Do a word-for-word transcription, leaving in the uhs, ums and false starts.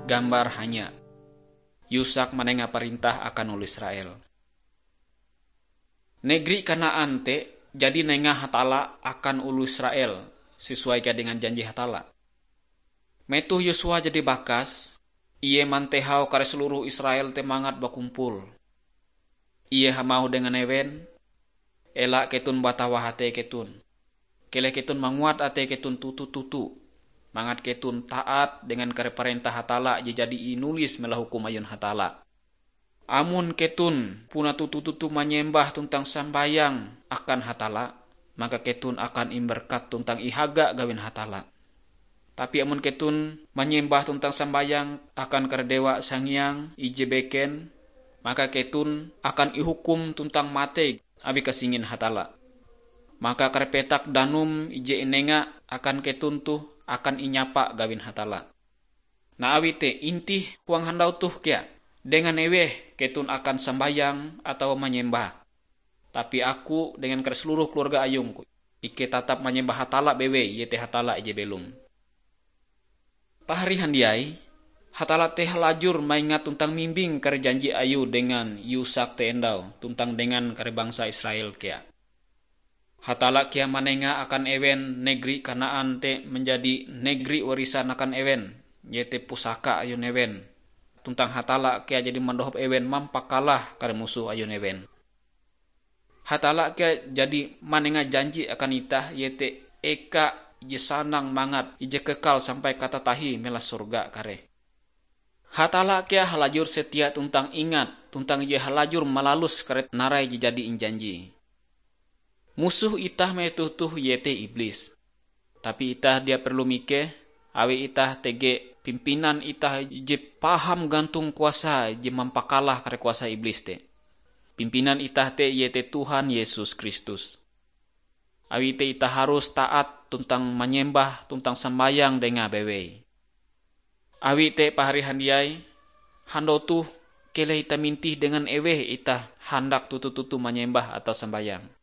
Gambar hanya. Yusak manenga parentah akan oloh Israel. Negeri Kanaan te jadi nengah Hatalla akan oloh Israel, sesuai kea dengan janji Hatalla. Metoh Yosua jadi bakas, ie mantehau kare seluruh Israel te mangat bakumpul. Ie hamauh dengan ewen, "Ela keton batawah atei keton. Keleh keton manguat atei keton toto-toto, mangat keton taat dengan kare parentah Hatalla je jadi inulis melahukum ayun Hatalla. Amon keton puna toto-toto manyembah tuntang sambayang akan Hatalla, maka keton akan imberkat tuntang ihaga gawin Hatalla. Tapi amon keton manyembah tuntang sambayang akan kare dewa sangiang ije beken, maka keton akan ihukum tuntang matei awi kasingin Hatalla. Maka kare petak danum ije inenga akan keton toh akan inyapa gawin Hatalla. Nah, awi te intih huang handau toh kea, dengan eweh keton akan sambayang atawa manyembah. Tapi aku dengan kare seluruh keluarga ayungku, ikei tatap manyembah Hatalla bewei, iete Hatalla ije belom." Pahari handiai, Hatalla te halajur maingat tuntang mimbing kare janji Ayue dengan Yusak te endau, tuntang dengan kare bangsa Israel kea. Hatalla kea manenga akan ewen negeri Kanaan te manjadi negeri warisan akan ewen, iete pusaka ayun ewen. Tuntang Hatalla kea jadi mandohop ewen mampakalah kare musoh ayun ewen. Hatalla kea jadi manenga janji akan itah, iete eka je sanang mangat, ije kekal sampai katatahie melaha sorga kareh. Hatalla kea halajur setia tuntang ingat, tuntang Ie halajur malalus kare narai je jadi injanji. Musoh itah metoh toh iete Iblis. Tapi itah dia perlu mikeh, awi itah tege pimpinan itah je paham gantong kuasa je mampakalah kare kuasa Iblis te. Pimpinan itah te iete Tuhan Yesus Kristus. Awi te itah harus taat tuntang manyembah tuntang sambayang Dengae bewei. Awi te, pahari handiai, handau toh keleh itah mintih dengan eweh itah handak toto-toto manyembah atawa sambayang.